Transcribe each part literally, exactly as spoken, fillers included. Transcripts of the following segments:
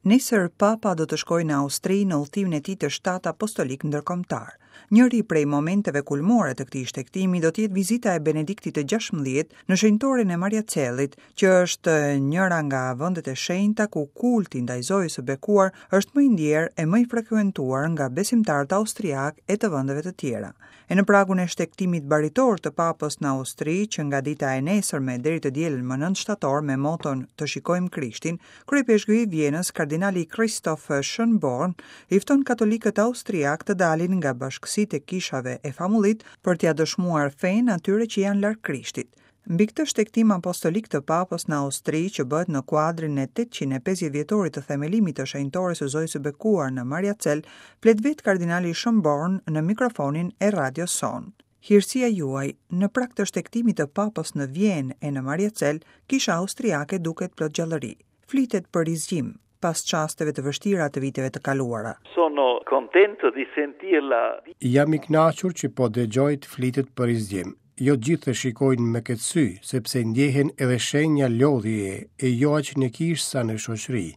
Nesër Papa do të shkojë në Austri në udhëtimin e tij të shtatë apostolik ndërkombëtar. Njëri prej momenteve kulmore të këtij shtegtimi do të jetë vizita e Benediktit të gjashtëmbëdhjetë në shenjtoren e Mariacellit, që është njëra nga vendet e shenjta ku kulti ndaj Zojës së Bekuar është më i ndjerë e më i frekuentuar nga besimtarët austriak e të vendeve të tjera. E në pragun e shtegtimit baritor të Papës në Austri, që nga dita e nesërme deri të dielën më nëntë shtator me moton Të shikojmë Krishtin, kryepeshkvi i Vjenës, kardinali Christoph Schönborn, i fton katolikët austriak të dalin nga bashkësitë e kishave e famullit për t'ia dëshmuar fenë atyre që janë larg Krishtit. Mbi këtë shtegtim apostolik të Papës në Austri, që bëhet në kuadrin e tetëqind e pesëdhjetë vjetorit të themelimit të shenjtores së Zojës së Bekuar në Mariacell, flet vetë kardinali Schönborn në mikrofonin e radios sonë. Hirësia juaj, në prag të shtegtimit të Papës në Vjenë e në Mariacell, kisha austriake duket plot gjallëri. Flitet për rizgjim, pas çasteve të vështira të viteve të kaluara. Sono contento di sentirla. Jam i kënaqur që po dëgjoj të flitet për rizgjim. Jo gjithë e shikojnë me këtë sy, sepse ndjehen edhe shenja lodhjeje e jo aq në kishë sa në shoqëri.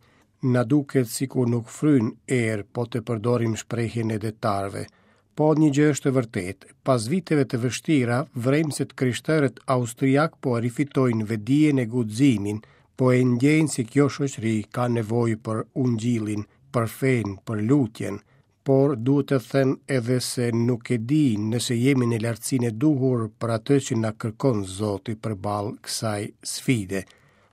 Na duket sikur nuk fryn erë, po të përdorim shprehjen e detarëve. Po një gjë është e vërtetë, pas viteve të vështira, vrejmë se të krishterët austriak po e rifitojnë vedijen e guximin, po e ndjejnë se kjo shoqëri ka nevojë për ungjillin, për fenë, për lutjen. Por duhet të them edhe se nuk e di nëse jemi në lartësinë e duhur për atë që na kërkon Zoti përballë kësaj sfide.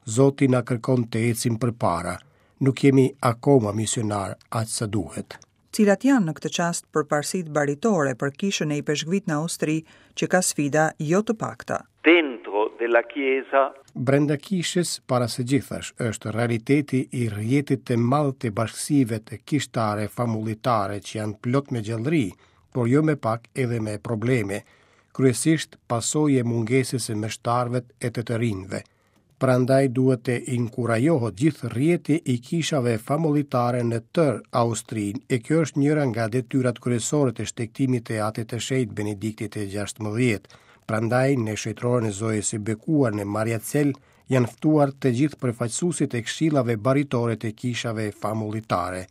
Zoti na kërkon të ecim përpara. Nuk jemi akoma misionar aq sa duhet. Cilat janë në këtë çast përparësitë baritore për kishën e ipeshkvit në Austri, që ka sfida jo të pakta? Dentro della Chiesa. Brenda kishës, para së gjithash, është realiteti i rrjetit të madh të bashkësive të kishtare famullitare që janë plot me gjallëri, por jo me pak edhe me probleme, kryesisht pasojë e mungesës së meshtarëve e të të rinjve. Prandaj duhet të inkurajohet gjithë rrjeti i kishave famullitare në tërë Austrinë, e kjo është njëra nga detyrat kryesore të shtegtimit të Atit të Shenjtë Benediktit të gjashtëmbëdhjetë. Prandaj në shenjtoren e Zojës së Bekuar në Mariacell janë ftuar të gjithë përfaqësuesit e këshillave baritore të kishave famullitare.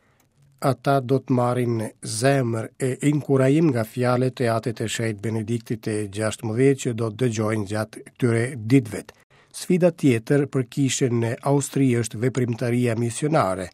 Ata do të marrin zemër e inkurajim nga fjalët e Atit të Shenjtë Benediktit të gjashtëmbëdhjetë që do të dëgjojnë gjatë këtyre ditëve. Sfida tjetër për kishën në Austri është veprimtaria misionare,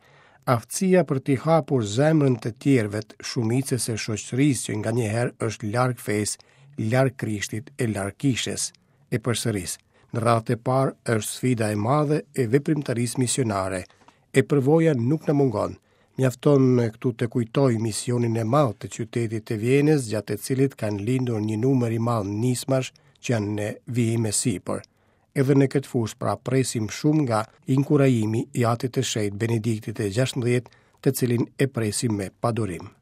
aftësia për t'i hapur zemrën të tjerëve, shumicës së shoqërisë që nganjëherë është larg fesë, larg Krishtit e larg kishës. E përsëris, në radhë të parë është sfida e madhe e veprimtarisë misionare. E përvoja nuk na mungon. Mjafton këtu të kujtoj misionin e madh të qytetit të Vjenës, gjatë të cilit kanë lindur një numër i madh nismash që janë në vijim e sipër. Edhe në këtë fushë pra presim shumë nga inkurajimi i Atit të Shenjtë Benediktit të gjashtëmbëdhjetë, të cilin e presim me padurim.